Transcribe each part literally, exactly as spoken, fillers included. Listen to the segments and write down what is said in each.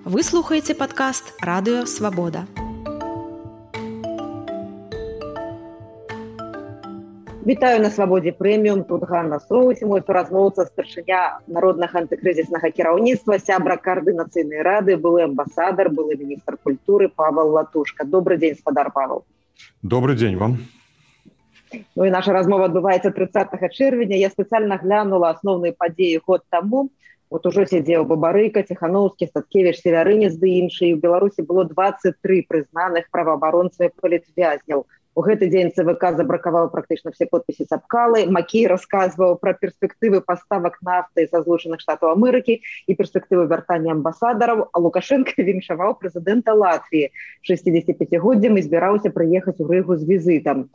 Вы слухаеце падкаст «Радыё Свабода». Вітаю на Свабодзе прэміум. Тут Ганна Соус, мой суразмоўца, старшыня народнага антыкрызіснага кіраўніцтва, сябра каардынацыйнай рады, былы амбасадар, былы міністр культуры Павел Латушка. Добрый дзень, спадар Павел. Добрый дзень вам. Ну і наша размова адбываецца трыццатага чэрвеня. Я спецыяльна глянула асноўныя падзеі год таму. Вот ужо сидзеў Бабарыка, Ціхановскі, Статкевіч, Севярынец ды іншыя. У Беларусі было двадцать три прызнаных праваабаронцаў і палітвязняў. У гэты дзень ЦВК забракаваў практычна все подпісы Цапкалы. Макей расказваў пра перспектывы паставак нафты са Злучаных Штатаў Амерыкі і перспектывы вяртання амбасадараў, а Лукашенко віншаваў прэзідэнта Латвіі шэсцідзесяціпяцігоддзям і збіраўся прыехаць у Рыгу з візітам.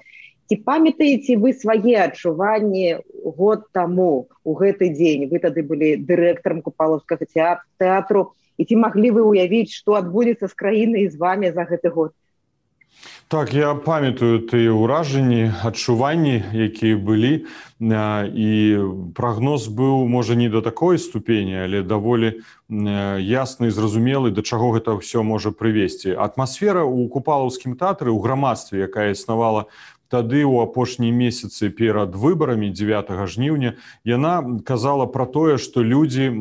Ці памятаеце вы свае адчуванні год таму у гэты дзень? Вы тады былі дырэктарам Купалаўскага тэатру. І ці маглі вы уявіць, што адбудзецца з краінай і з вамі за гэты год? Так, я памятаю тыя ўражанні, адчуванні, якія былі, і прагноз быў, можа, не да такой ступені, але даволі ясны і зразумелы, да чаго гэта ўсё можа прывесці. Атмасфера ў Купалаўскім тэатры, у грамадстве, якая існавала тады ў апошнія месяцы перад выбарамі дзевятага жніўня, яна казала пра тое, што людзі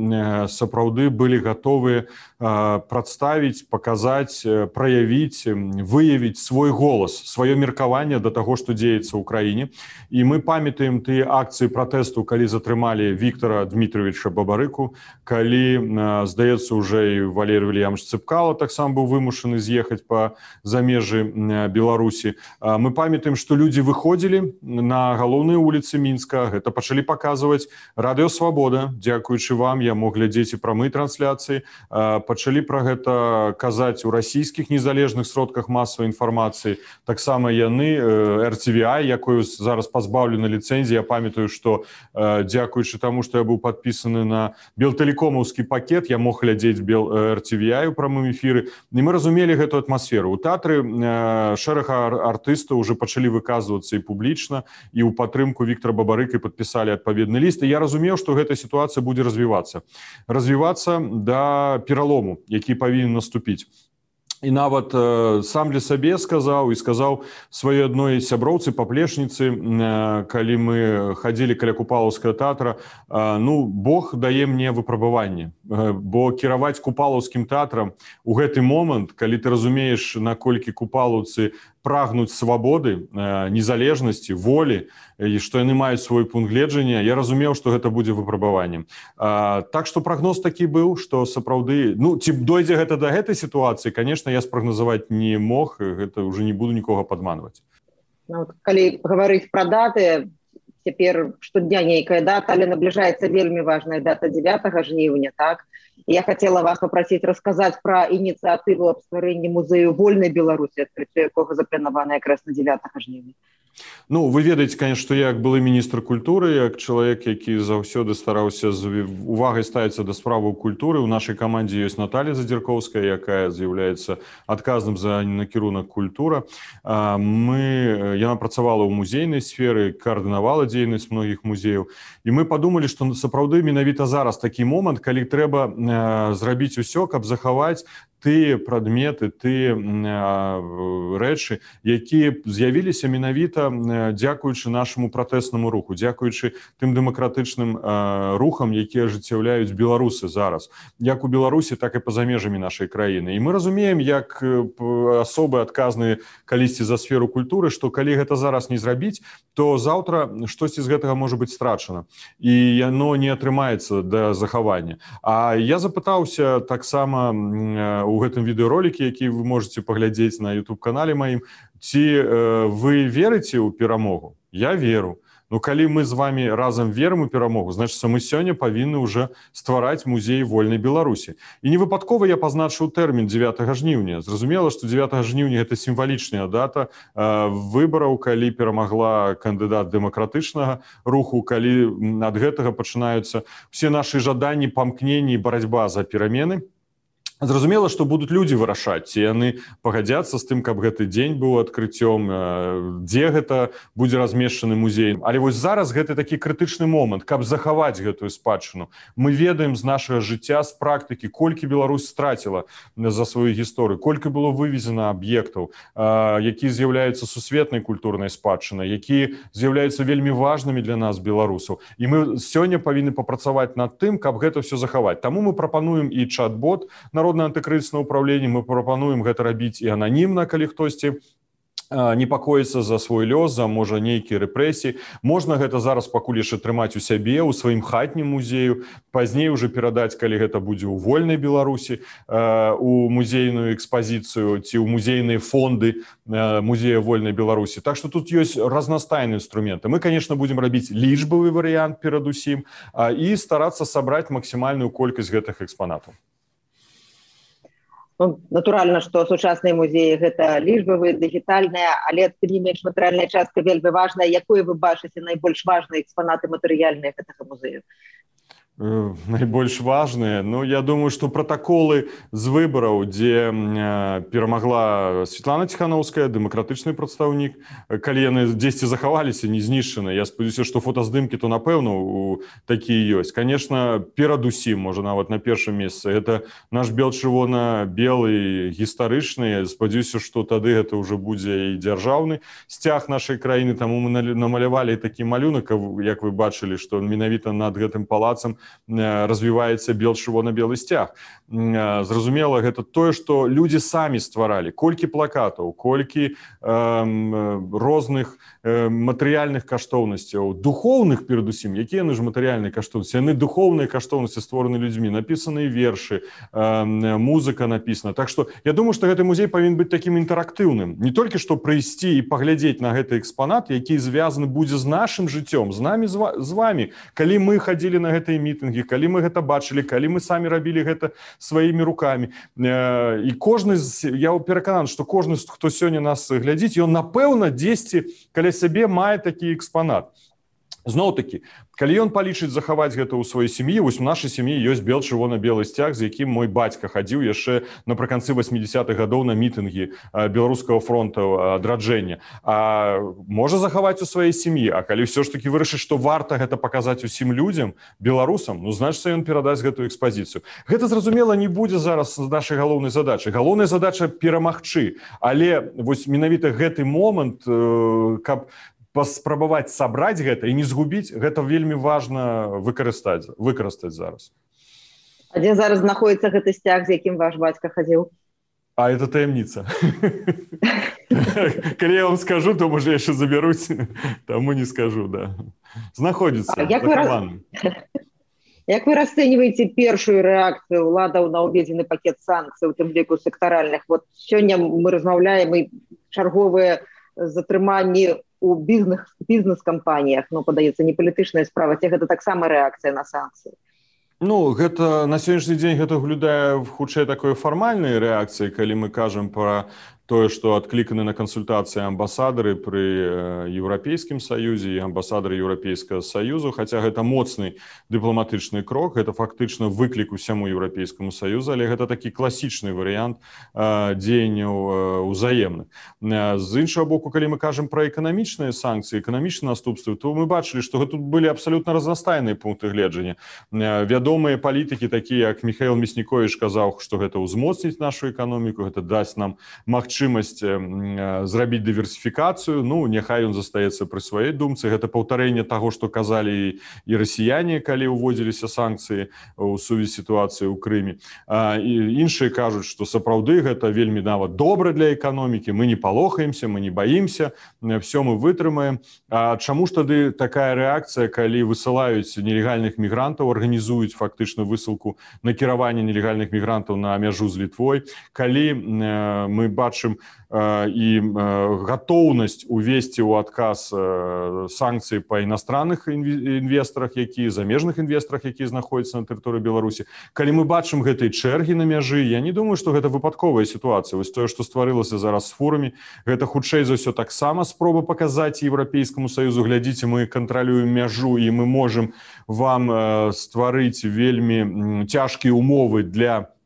сапраўды былі гатовыя прадставіць, паказаць, праявіць, выявіць свой голас, сваё меркаванне да таго, што дзеецца ў краіне. І мы памятаем тыя акцыі пратэсту, калі затрымалі Віктора Дмітровича Бабарыку, калі, здаецца, уже і Валерий Вильямович Цепкало таксама быў вымушаны з'ехаць па замежжы Беларусі. Мы памятаем, што людзі выходзілі на галоўныя вуліцы Мінска, гэта пачалі паказваць Радыё Свабода. Дзякуючы вам я мог глядзець і прамыя трансляцыі. Пачалі пра гэта казаць у расійскіх незалежных сродках масавай інфармацыі. Таксама яны, эр тэ вэ ай, якую зараз пазбаўлена ліцэнзіі. Я памятаю, што дзякуючы таму, што я быў падпісаны на белтэлекомаўскі пакет, я мог глядзець эр тэ вэ ай у прамым эфіры. І мы разумелі гэту атмасферу. У тэатры шэраг артыстаў уже пачалі выказваць выказвацца і публічна, і ў падтрымку Віктора Бабарыка падпісалі адпаведны ліст. І я разумеў, што гэта сітуацыя будзе развівацца. Развівацца да пералому, які павінен наступіць. І нават э, сам для сабе сказаў і сказаў сваёй адной сяброўцы, паплечніцы, э, калі мы хадзілі каля Купалаўскага тэатра, э, ну, Бог дае мне выпрабаванне. Э, бо кіраваць Купалаўскім тэатрам у гэты момант, калі ты разумееш, наколькі купалаўцы прагнуць свабоды, э, незалежнасці, волі, і што яны маюць свой пункт гледжання, я разумеў, што гэта будзе выпрабаваннем. Э, так што прагноз такі быў, што сапраўды, ну, ці дойдзе гэта да гэтай сітуацыі, конечно, я спрагназаваць не мог, гэта уже не буду нікога падманваць. Ну, вот, калі гаварыць пра даты, цяпер штодня нейкая дата, але набліжаецца вельмі важная дата дзевятага жніўня, так? Я хацела вас папрасіць расказаць пра ініцыятыву аб стварэнні музею вольнай Беларусі, адкрыццё якога запланавана якраз на дзевятага жніўня. Ну, вы ведаеце, конечно, што я як былы міністр культуры, як чалавек, які заўсёды стараўся з увагай ставіцца да справаў культуры. У нашай камандзе ёсць Наталья Задзіркоўская, якая з'яўляецца адказным за накірунак культура. Мы, яна працавала ў музейнай сферы, каардынавала дзейнасць многіх музеяў. І мы падумалі, што сапраўды менавіта зараз такі момант, калі трэба зрабіць усё, каб захаваць тыя прадметы, тыя рэчы, якія з'явіліся менавіта дзякуючы нашаму пратэснаму руху, дзякуючы тым дэмакратычным рухам, якія ажыццяўляюць беларусы зараз, як у Беларусі, так і па-за межамі нашай краіны. І мы разумеем, як асобы адказныя калісьці за сферу культуры, што калі гэта зараз не зрабіць, то заўтра штосьці з гэтага можа быць страчана, і яно не атрымаецца да захавання. А я запытаўся таксама у гэтым відэаролікі, які вы можете паглядзець на ютуб-канале маім, ці э, вы верыце ў перамогу? Я веру. Ну, калі мы з вами разам верым у перамогу, значыць, мы сёння павінны ўжо ствараць музей вольнай Беларусі. І не выпадкова я пазначыў тэрмін дзевятага жніўня. Зразумела, што дзевятага жніўня гэта сімвалічная дата э, выбараў, калі перамагла кандыдат дэмакратычнага руху, калі ад гэтага пачынаюцца все нашы жаданні, памкненні і барацьба за перамены. Зразумела, што будуць людзі вырашаць, ці яны пагадзяцца з тым, каб гэты дзень быў адкрыццём, дзе гэта будзе размешчаны музей. Але вось зараз гэты такі крытычны момант, каб захаваць гэтую спадчыну. Мы ведаем з нашага жыцця, з практыкі, колькі Беларусь страціла за сваю гісторыю, колькі было вывезена аб'ектаў, якія з'яўляюцца сусветнай культурнай спадчынай, якія з'яўляюцца вельмі важнымі для нас, беларусаў. І мы сёння павінны папрацаваць над тым, каб гэта ўсё захаваць. Таму мы прапануем і чат-бот Народнае антыкрызіснае ўпраўленне, мы прапануем гэта рабіць і ананімна, калі хтосьці непакоіцца за свой лёс, за, можа, нейкія рэпрэсіі. Можна гэта зараз пакуль яшчэ трымаць у сябе, у сваім хатнім музею, пазней уже перадаць, калі гэта будзе ў вольнай Беларусі, у музейную экспазіцыю ці ў музейныя фонды музея вольнай Беларусі. Так што тут ёсць разнастайныя інструменты. Мы, конечно, будзем рабіць лічбавы варыянт перадусім і старацца сабраць максімальную колькасць гэтых экспанатаў. Ну, натуральна, што сучасныя музеі гэта лічбавыя, дыгітальныя, але тым не менш матэрыяльная частка вельмі важная. Якое вы бачыце найбольш важныя экспанаты матэрыяльныя гэтага музею? Найбольш важныя, ну, я думаю, што пратаколы з выбараў, дзе перамагла Светлана Ціханаўская, дэмакратычны прадстаўнік, калі яны дзесьці захаваліся, не знішчаны, я спадзяюся, што фотаздымкі то, напэўна, у такія ёсць. Конечно, перадусім, можа, нават на першым месцы, гэта наш бел-чырвона-белы гістарычны, спадзяюся, што тады гэта ўжо будзе і дзяржаўны сцяг нашай краіны, таму мы намалявалі такі малюнак, як вы бачылі, што менавіта над гэтым палацам развіваецца бел-чырвона-белы сцяг. Зразумела, гэта тое, што людзі самі стваралі. Колькі плакатаў, колькі э, розных э, матэрыяльных каштоўнасцяў, духоўных перадусім, якія яны ж матэрыяльныя каштоўнасці, яны духоўныя каштоўнасці створаны людзьмі, напісаныя вершы, э, музыка напісана. Так што я думаю, што гэты музей павінен быць такім інтэрактыўным. Не толькі што прыйсці і паглядзець на гэты экспанат, які звязаны будзе з нашым жыццём, з намі, з вамі. Калі мы хадзілі на гэтыя мітынгі, калі мы гэта бачылі, калі мы самі рабілі гэта сваімі рукамі. І кожны, я перакананы, што кожны, хто сёння нас глядзіць, ён, напэўна, дзесьці каля сябе мае такі экспанат. Зноў-такі, калі ён палічыць захаваць гэта ў сваёй сям'і, вось у нашай сям'і ёсць бел-чырвона-белы сцяг, з якім мой бацька хадзіў яшчэ напрыканцы васьмідзесятых гадоў на мітынгі беларускага фронта адраджэння. А можа захаваць у сваёй сям'і, а калі ўсё ж такі вырашыць, што варта гэта паказаць усім людзям, беларусам, ну, значыцца, ён перадасць гэтую экспазіцыю. Гэта, зразумела, не будзе зараз нашай галоўнай задачай. Галоўная задача перамагчы, але вось менавіта гэты момант, каб паспрабаваць сабраць гэта і не згубіць, гэта вельмі важна выкарыстаць, выкарыстаць зараз. А дзе зараз знаходіцца гэты сцяг, з якім ваш бацька хадзіў? А это таямніца. Калі я вам скажу, то, можа, яшчэ забяруць, таму не скажу, да. Знаходзіцца, захаваны. Як вы расцэньваеце першую рэакцыю ўладаў на ўведзены пакет санкцый, у тым ліку сектаральных? Вот сёння мы размаўляем і чарговыя затрыманні у бізнес, бізнес-кампаніях, ну, падаецца, не палітычная справа, ці гэта таксама рэакцыя на санкцыі? Ну, гэта на сённяшні дзень гэта выглядае хутчэй такой фармальнай рэакцыі, калі мы кажам пра тое, што адкліканы на кансультацыі амбасадары пры Еўрапейскім саюзе і амбасадары Еўрапейскага саюзу, хаця гэта моцны дыпламатычны крок, гэта фактычна выклік усяму Еўрапейскаму саюзу, але гэта такі класічны варыянт дзеянняў узаемных. З іншага боку, калі мы кажам пра эканамічныя санкцыі, эканамічныя наступствы, то мы бачылі, што тут былі абсалютна разнастайныя пункты гледжання. Вядомыя палітыкі, такія як Міхаіл Мясніковіч казаў, што гэта ўзмоцніць нашу эканоміку, гэта дасць нам магчымасць зрабіць дыверсіфікацыю, ну, няхай ён застаецца пры сваёй думцы. Гэта паўтарэнне таго, што казалі і расіяне, калі ўводзіліся санкцыі ў сувязі сітуацыі ў Крыме. І іншыя кажуць, што сапраўды гэта вельмі нават добра для эканомікі, мы не палохаемся, мы не баімся, все мы вытрымаем. А чаму ж тады такая рэакцыя, калі высылаюць нелегальных мігрантаў, арганізуюць фактычна высылку накіравання нелегальных мігрантаў на мяжу з Літвой, калі мы бачым і гатоўнасць увесці ў адказ санкцыі па іностранных інвестарах, якія замежных інвестарах, якія знаходзяцца на тэрыторыі Беларусі. Калі мы бачым гэтай чэргі на мяжы, я не думаю, што гэта выпадковая сітуацыя. Вось тое, што стварылася зараз з форуме, гэта хутчэй за ўсё таксама спроба паказаць Еўрапейскаму саюзу: глядзіце, мы кантралюем мяжу і мы можам вам стварыць вельмі цяжкія умовы для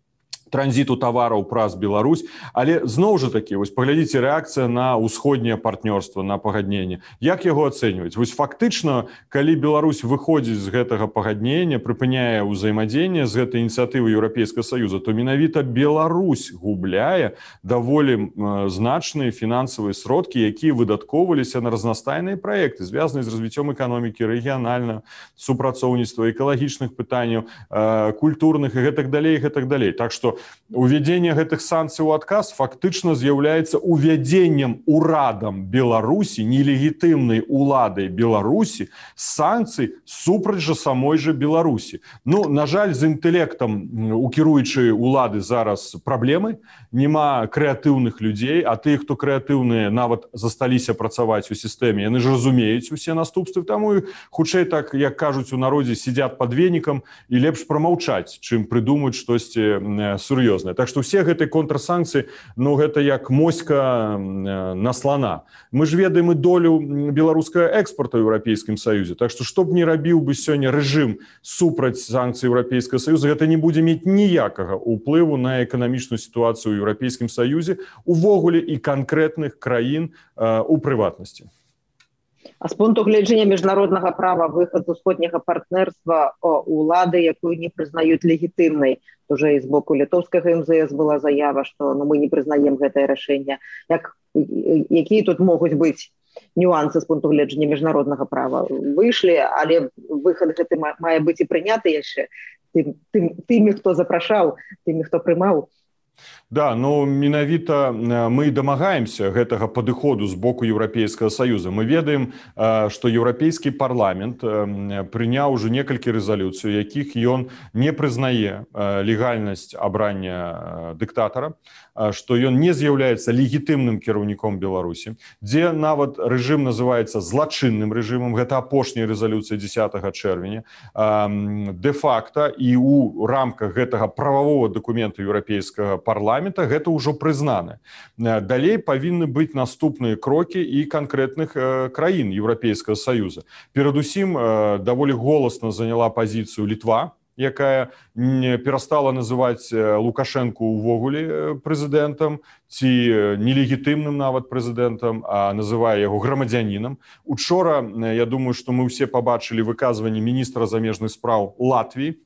транзіту тавараў праз Беларусь, але зноў жа такі, вось паглядзіце рэакцыя на ўсходняе партнёрства, на пагадненне. Як яго ацэньваць? Вось фактычна, калі Беларусь выходзіць з гэтага пагаднення, прыпыняе ўзаемадзеянне з гэтай ініцыятывы Еўрапейскага Саюза, то менавіта Беларусь губляе даволі значныя фінансавыя сродкі, якія выдаткоўваліся на разнастайныя праекты, звязаныя з развіццём эканомікі, рэгіянальнага супрацоўніцтва, экалагічных пытанняў, культурных і гэтак далей, і гэтак далей. Так што увядзенне гэтых санкцый у адказ фактычна з'яўляецца увядзеннем урадам Беларусі, нелегітымнай уладай Беларусі, санкцый супраць жа самой жа Беларусі. Ну, на жаль, з інтэлектам у кіруючай улады зараз праблемы, няма крэатыўных людзей, а тыя, хто крэатыўныя, нават засталіся працаваць у сістэме, яны ж разумеюць усе наступствы, таму хутчэй так, як кажуць у народзе, сидят под венікам і лепш прамаўчаць, чым прыдумаць штосьці сур'ёзнае. Так што ўсе гэтыя контрсанкцыі, ну гэта як моська на слона. Мы ж ведаем і долю беларускага экспорту ў Еўрапейскім Саюзе. Так што што б не рабіў бы сёння рэжым супраць санкцый Еўрапейскага Саюза, гэта не будзе мець ніякага ўплыву на эканамічную сітуацыю ў Еўрапейскім Саюзе, увогуле і канкрэтных краін у прыватнасці. А з пункту гледжання міжнароднага права выхад з усходняга партнерства улады, якую не прызнаюць легітымнай, уже і з боку літоўскага эм зэ эс была заява, што ну, мы не прызнаем гэтае рашэнне. Як, якія тут могуць быць нюансы з пункту гледжання міжнароднага права? Выйшлі, але выхад гэты мае быць і прыняты яшчэ тым, тым, тымі, хто запрашаў, тымі, хто прымаў. Да, ну менавіта мы дамагаемся гэтага падыходу з боку Еўрапейскага Саюза. Мы ведаем, што Еўрапейскі парламент прыняў ужо некалькі рэзалюцый, якіх ён не прызнае легальнасць абрання дыктатара, што ён не з'яўляецца легітымным кіраўніком Беларусі, дзе нават рэжым называецца злачынным рэжымам, гэта апошняя рэзалюцыя дзесятага чэрвеня. Дэ-факта і ў рамках гэтага прававога дакумента Еўрапейскага парламента гэта ўжо прызнана. Далей павінны быць наступныя крокі і канкрэтных краін Еўрапейскага Саюза. Перадусім, даволі голасна заняла пазіцыю Літва, якая перастала называць Лукашэнку увогуле прэзідэнтам ці нелегітымным нават прэзідэнтам, а называе яго грамадзянінам. Учора, я думаю, што мы ўсе пабачылі выказванне міністра замежных спраў Латвіі,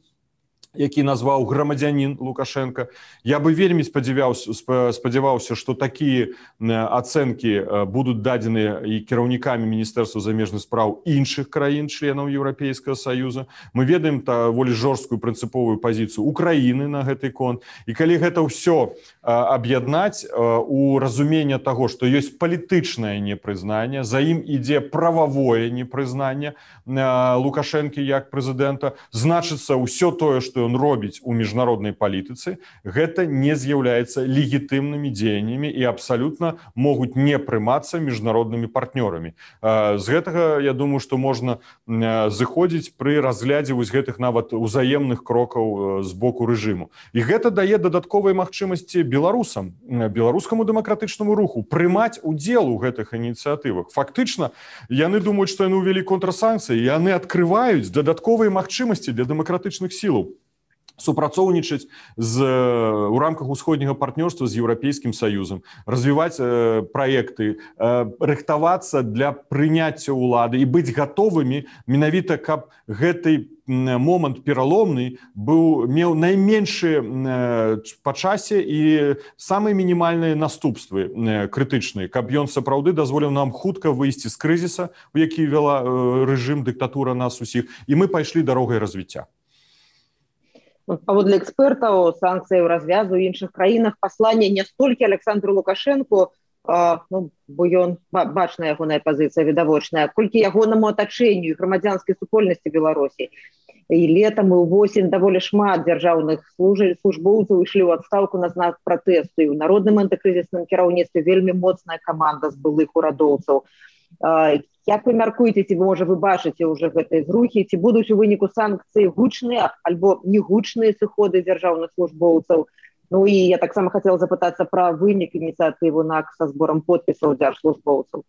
які назваў грамадзянін Лукашенко. Я бы вельмі спадзяваўся, спадзяваўся, што такія ацэнкі будуць дадзеныя і кіраўнікамі Міністэрства замежных спраў іншых краін, членаў Еўрапейскага Саюза. Мы ведаем даволі жорсткую прынцыповую пазіцыю Украіны на гэты конт. І калі гэта ўсё аб'яднаць у разуменне таго, што ёсць палітычнае непрызнанне, за ім ідзе прававое непрызнанне Лукашэнкі як прэзідэнта, значыцца ўсё тое, што ён робіць у міжнароднай палітыцы, гэта не з'яўляецца легітымнымі дзеяннямі і абсалютна могуць не прымацца міжнароднымі партнёрамі. З гэтага, я думаю, што можна зыходзіць пры разглядзе вось гэтых нават узаемных крокаў з боку рэжыму. І гэта дае дадатковыя магчымасці беларусам, беларускаму дэмакратычнаму руху прымаць удзел у гэтых ініцыятывах. Фактычна, яны думаюць, што яны ўвялі контрсанкцыі, і яны адкрываюць дадатковыя магчымасці для дэмакратычных сілаў супрацоўнічаць з, у рамках усходняга партнёрства з Еўрапейскім Саюзам, развіваць э, праекты, э, рыхтавацца для прыняцця ўлады і быць гатовымі менавіта, каб гэты момант пераломны быў, меў найменшыя э, па часе і самыя мінімальныя наступствы э, крытычныя, каб ён сапраўды дазволіў нам хутка выйсці з крызіса, у які вела э, рэжым, дыктатура нас усіх, і мы пайшлі дарогай развіцця. Паводле экспертаў, санкцыі ў развязу ў іншых краінах пасланне не столькі Александру Лукашэнку, а, ну, бо ён бачная ягоная пазіцыя відавочная, колькі ягонаму атачэнню і грамадзянскай супольнасці Беларусі. І летам і ўвосень даволі шмат дзяржаўных службоўцаў ішлі ў адстаўку на знак пратэсту. І ў народным антыкрызісным кіраўніцтве вельмі моцная каманда з былых урадоўцаў. Як вы мяркуеце, ці можа вы бачыце ўжо гэтай зрухі, ці будуць у выніку санкцыі гучныя альбо негучныя сыходы дзяржаўных службоўцаў? Ну і я таксама хацела запытацца пра вынік ініцыятыву НАК са зборам подпісаў дзяржслужбоўцаў.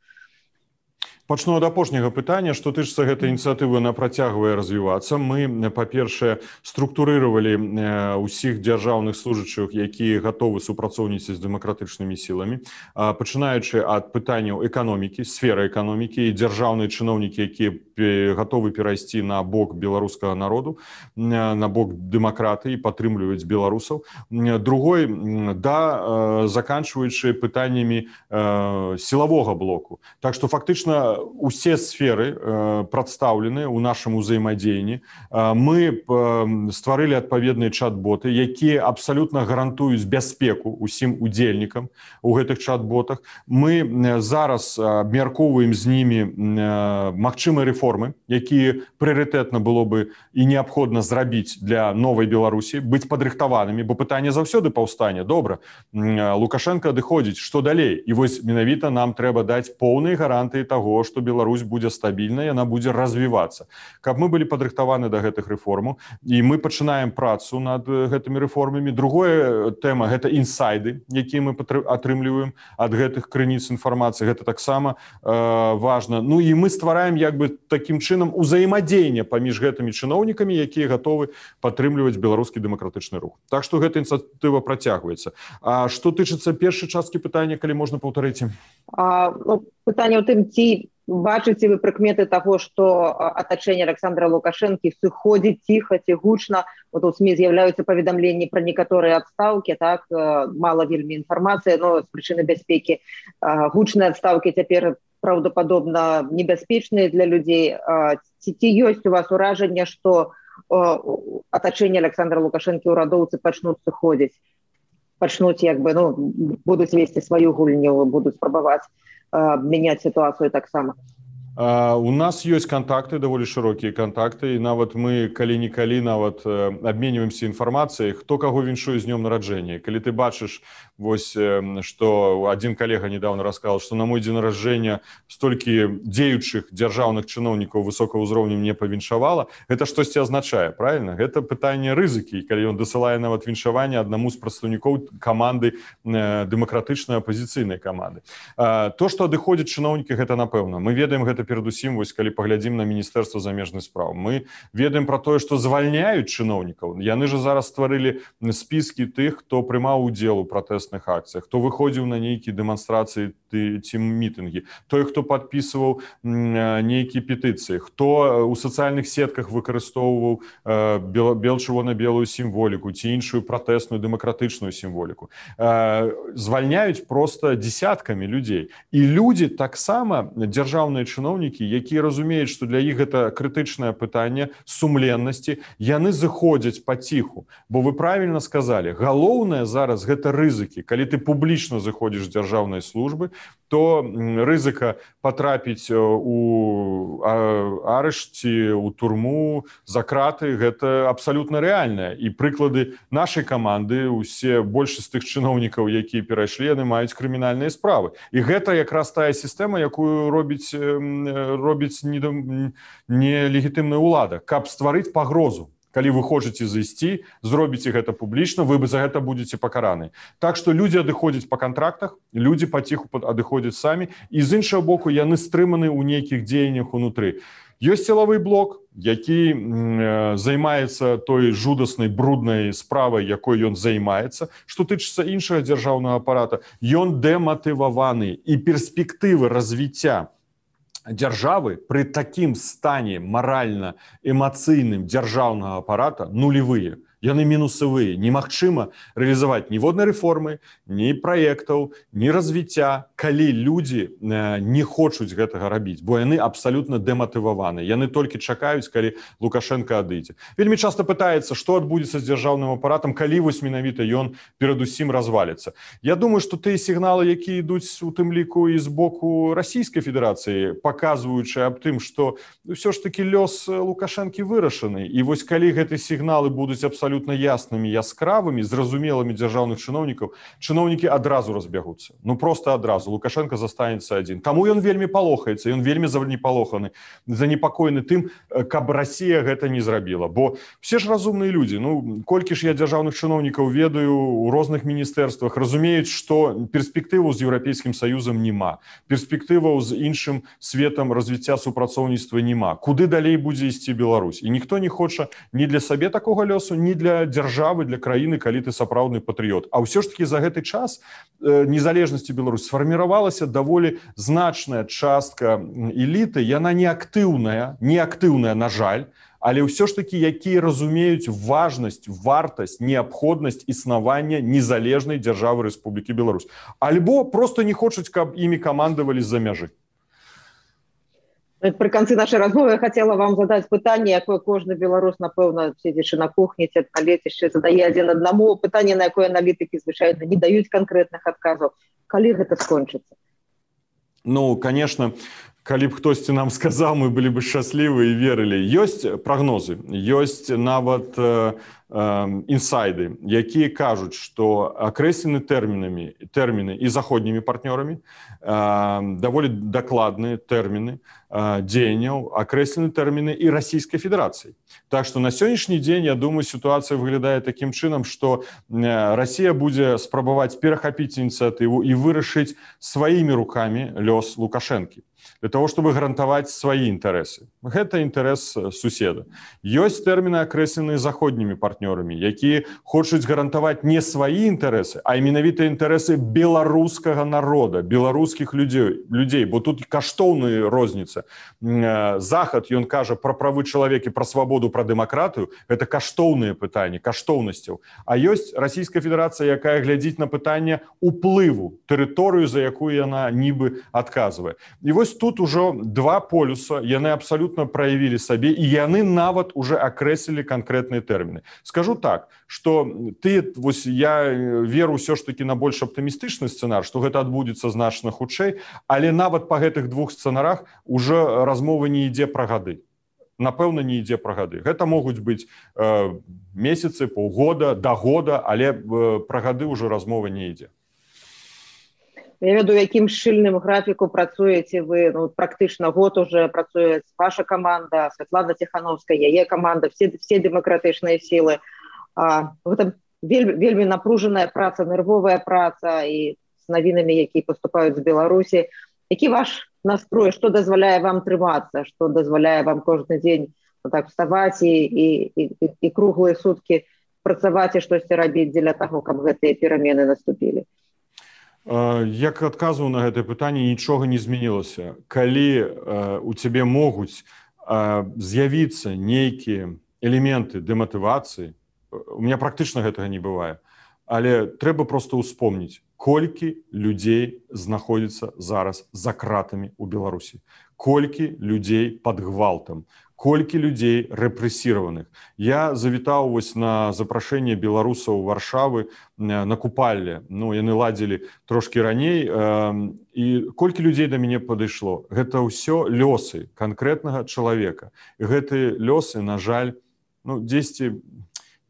Пачну ад апошняга пытання, што тычыцца гэтай ініцыятывы, она працягвае развівацца. Мы, па-першае, структурыравалі ўсіх дзяржаўных служачых, якія гатовы супрацоўніцаць з дэмакратычнымі сіламі, пачынаючы ад пытанняў эканомікі, сферы эканомікі, і дзяржаўныя чыноўнікі, якія гатовы перайсці на бок беларускага народу, на бок дэмакратыі, падтрымліваюць беларусаў. Другой, да, заканчваючы пытаннямі сілавога блоку. Так што фактычна усе сферы э, прадстаўлены ў нашым узаемадзеянні. Э, мы э, стварылі адпаведныя чат-боты, якія абсалютна гарантуюць бяспеку ўсім удзельнікам у гэтых чат-ботах. Мы э, зараз абмяркоўваем з німі э, магчымыя рэформы, якія прыярытэтна было бы і неабходна зрабіць для новай Беларусі, быць падрыхтаванымі, бо пытанне заўсёды паўстане. Добра, Лукашенко адыходзіць, што далей? І вось менавіта нам трэба даць поўныя гарантыі таго, што Беларусь будзе стабільная, яна будзе развівацца. Каб мы былі падрыхтаваны да гэтых рэформаў, і мы пачынаем працу над гэтымі рэформамі. Другая тэма – гэта інсайды, якія мы атрымліваем ад гэтых крыніц інфармацыі. Гэта таксама э, важна. Ну і мы ствараем як бы такім чынам узаемадзеянне паміж гэтымі чыноўнікамі, якія гатовы падтрымліваць беларускі дэмакратычны рух. Так што гэта ініцыятыва працягваецца. А што тычыцца першай часткі пытання, калі можна паўтарыць? А, ну, пытанне ў тым, ці бачыце вы прыкметы таго, што атачэнне Александра Лукашэнкі сыходзіць ціха ці гучна. Вот у СМІ з'яўляюцца паведамленні пра некаторыя адстаўкі, так, мала вельмі інфармацыі, но з прычыны бяспекі. Гучныя адстаўкі цяпер праўдападобна небяспечныя для людзей. Ці, ці ёсць у вас уражанне, што атачэнне Александра Лукашэнкі ўрадоўцы пачнуць сыходзіць? Пачнуць, як бы, ну, будуць весці сваю гульню, будуць спрабаваць э, мяняць сітуацыю таксама. Uh, у нас ёсць кантакты, даволі шырокія кантакты, і нават мы калі-нікалі нават uh, абменьваемся інфармацыяй, хто каго віншуе з днём нараджэння. Калі ты бачыш, вось, uh, што адзін калега недавно расказал, што на мой дзень нараджэння столькі дзеючых дзяржаўных чыноўнікаў высокага ўзроўню мне павіншавала, гэта штосьці азначае, правильно? Гэта пытанне рызыкі, калі ён дасылае нават віншаванне аднаму з прадстаўнікоў каманды uh, дэмакратычнай апазіцыйнай каманды. Uh, то, што адыходзяць чыноўнікі, гэта напэўна. Мы ведаем гэта перадусім, вось, калі паглядзім на Міністэрства замежных спраў. Мы ведаем пра тое, што звальняюць чыноўнікаў. Яны ж зараз стварылі спіскі тых, хто прымаў удзел у пратэсных акцыях, хто выходзіў на нейкія дэманстрацыі ці мітынгі, той, хто падпісваў нейкія петыцыі, хто у сацыяльных сетках выкарыстоўваў бел-чырвона-белую сімволіку ці іншую пратэсную дэмакратычную сімволіку. Звальняюць проста дзесяткамі людзей. І людзі таксама, дзяржаўныя чыноўнікі, якія разумеюць, што для іх гэта крытычнае пытанне сумленнасці, яны зыходзяць паціху. Бо вы правільна сказалі, галоўнае зараз гэта рызыкі. Калі ты публічна зыходзіш з дзяржаўнай службы, то рызыка патрапіць у арышці, у турму, за краты, гэта абсалютна рэальнае. І прыклады нашай каманды, усе большасць тых чыноўнікаў, якія перайшлі, яны маюць крымінальныя справы. І гэта якраз тая сістэма, якую робіць робіць нелегітымная ўлада, каб стварыць пагрозу. Калі вы хочаце зайсці, зробіце гэта публічна, вы за гэта будзеце пакараны. Так што людзі адыходзяць па кантрактах, людзі паціху адыходзяць самі, і з іншага боку яны стрыманы ў нейкіх дзеяннях унутры. Ёсць сілавы блок, які э, займаецца той жудаснай, бруднай справай, якой ён займаецца. Што тычыцца іншага дзяржаўнага апарата, ён дэматываваны, і перспектывы развіцця дзяржавы пры такім стане маральна-эмацыйным дзяржаўнага апарата нулевыя. Яны мінусавыя. Немагчыма рэалізаваць ніводнай рэформы, ні праектаў, ні развіцця, калі людзі не хочуць гэтага рабіць, бо яны абсалютна дэматываваны. Яны толькі чакаюць, калі Лукашенко адыдзе. Вельмі часта пытаецца, што адбудзецца з дзяржаўным апаратам, калі вось менавіта ён перадусім разваліцца. Я думаю, што тыя сігналы, якія ідуць у тым ліку і з боку Расійскай Федэрацыі, паказваючы аб тым, што ўсё ж такі лёс Лукашэнкі вырашаны. І вось калі гэтыя сігналы будуць абсалютна абсолютно яснымі, яскравымі, зразумелымі дзяржаўных чыноўнікаў, чыноўнікі адразу разбягуцца. Ну, просто адразу. разу Лукашенко застанецца адзін. Таму ён вельмі палохаецца, ён вельмі занепалоханы, занепакоены тым, каб Расія гэта не зрабіла. Бо все ж разумныя людзі, ну, колькі ж я дзяржаўных чыноўнікаў ведаю у розных міністэрствах, разумеюць, што перспектываў з Еўрапейскім Саюзам няма, перспектываў з іншым светам развіцця супрацоўніцтва няма. Куды далей будзе ісці Беларусь? І ніхто не хоча ні для сабе такога лёсу, ні для дзяржавы, для краіны, калі ты сапраўдны патрыёт. А ўсё ж такі за гэты час незалежнасці Беларусь сфарміравалася даволі значная частка эліты, яна не актыўная, не актыўная, на жаль, але ўсё ж такі, якія разумеюць важнасць, вартасць, неабходнасць існавання незалежнай дзяржавы Рэспублікі Беларусь. Альбо просто не хочуць, каб імі камандавалі з-за мяжы. При конце нашей размовы я хотела вам задать пытание, якое кожны белорус, напэўна, сидячи на кухне, ці на лецішчы, задае адзін аднаму. Пытанне, на якое аналітыкі звычайна не даюць канкрэтных адказаў. Калі гэта скончыцца? Ну, конечно, калі б хтосьці нам сказаў, мы былі бы шчаслівы і верылі. Ёсць прагнозы, ёсць нават э, э, інсайды, якія кажуць, што акрэслены тэрмінамі, тэрміны і заходнімі партнёрамі, э, даволі дакладныя тэрміны э, дзеянняў, акрэслены тэрміны і Расійскай Федэрацыі. Так што на сённяшні дзень, я думаю, сітуацыя выглядае такім чынам, што Расія будзе спрабаваць перахапіць ініцыятыву і вырашыць сваімі рукамі лёс Лукашэнкі, для того, чтобы гарантаваць свае інтарэсы. Гэта інтарэс суседа. Ёсць тэрміны, акрэсленыя заходнімі партнёрамі, якія хочуць гарантаваць не свае інтарэсы, а менавіта інтарэсы беларускага народа, беларускіх людзей, людзей, бо тут каштоўная розніца. Захад, ён кажа пра правы чалавека, пра свабоду, пра дэмакратыю, гэта каштоўныя пытанні, каштоўнасцяў. А ёсць Расійская Федэрацыя, якая глядзіць на пытанне ўплыву, тэрыторыю, за якую яна нібы адказвае. І вось тут ужо два полюса, яны абсалютна праявілі сабе, і яны нават уже акрэслілі канкрэтныя тэрміны. Скажу так, што ты, вось я веру ўсё ж такі на больш аптымістычны сцэнар, што гэта адбудзецца значна хутчэй, але нават па гэтых двух сцэнарах уже размова не ідзе пра гады. Напэўна, не ідзе пра гады. Гэта могуць быць э, месяцы, паўгода, да года, але э, пра гады ўжо размова не ідзе. Я ведаю, якім шчыльным графіку працуеце вы, ну, практычна год уже працуе ваша каманда, Святлана Ціхановская, яе каманда, все, все дэмакратычныя сілы. А, гэта вельмі, вельмі напружаная праца, нервовая праца і з навінамі, якія паступаюць з Беларусі. Які ваш настрой, што дазваляе вам трымацца, што дазваляе вам кожны дзень ну, так, вставаць і, і, і, і круглыя суткі працаваць і штосьці рабіць дзеля таго, каб гэтыя перамены наступілі? Як адказваў на гэтае пытанне, нічога не змянілася. Калі э, у цябе могуць э, з'явіцца нейкія элементы дэматывацыі, у меня практычна гэтага не бывае, але трэба проста ўспомніць, колькі людзей знаходзіцца зараз за кратамі ў Беларусі, колькі людзей пад гвалтам, колькі людзей рэпрэсіраваных. Я завітаў вось на запрашэнне беларусаў Варшавы на купалле. Ну, яны ладзілі трошкі раней. Э, і колькі людзей да мяне падышло. Гэта ўсё лёсы канкрэтнага чалавека. І гэтыя лёсы, на жаль, ну, дзесьці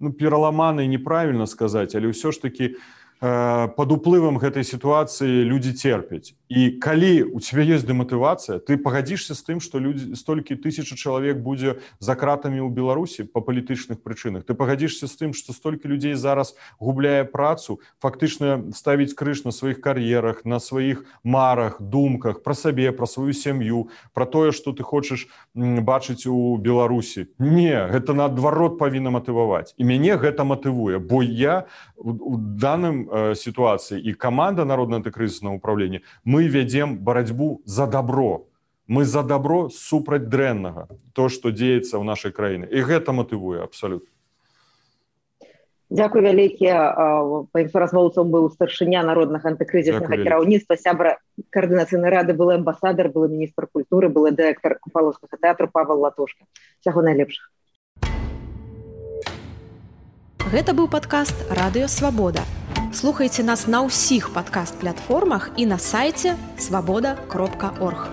ну, пераламаны, неправільна сказаць, але ўсё ж такі э, пад уплывам гэтай сітуацыі людзі церпяць. І калі у цябе ёсць дэматывацыя, ты пагадзішся з тым, што людзі, столькі тысяча чалавек будзе за кратамі ў Беларусі па палітычных прычынах. Ты пагадзішся з тым, што столькі людзей зараз губляе працу, фактычна ставіць крыж на сваіх кар'ерах, на сваіх марах, думках, пра сабе, пра сваю сям'ю, пра тое, што ты хочаш бачыць у Беларусі. Не, гэта наадварот павінна матываваць. І мяне гэта матывуе, бо я у даным э, сітуацыі і каманда Народнага антыкрызіснага ўпраўлення, мы вядзем барацьбу за добро. Мы за добро супраць дрэннага, то, што дзеецца ў нашай краіне. І гэта матывуе абсалютна. Дякую вялікі. Маім суразмоўцам быў старшыня Народнага антыкрызіснага кіраўніцтва, сябра каардынацыйнай рады, былы амбасадар, былы міністр культуры, былы дырэктар Купалаўскага тэатру Павел Латушка. Усяго найлепшага. Гэта быў падкаст «Радыё Свабода». Слухайце нас на ўсіх падкаст-платформах і на сайце свабода кропка орг.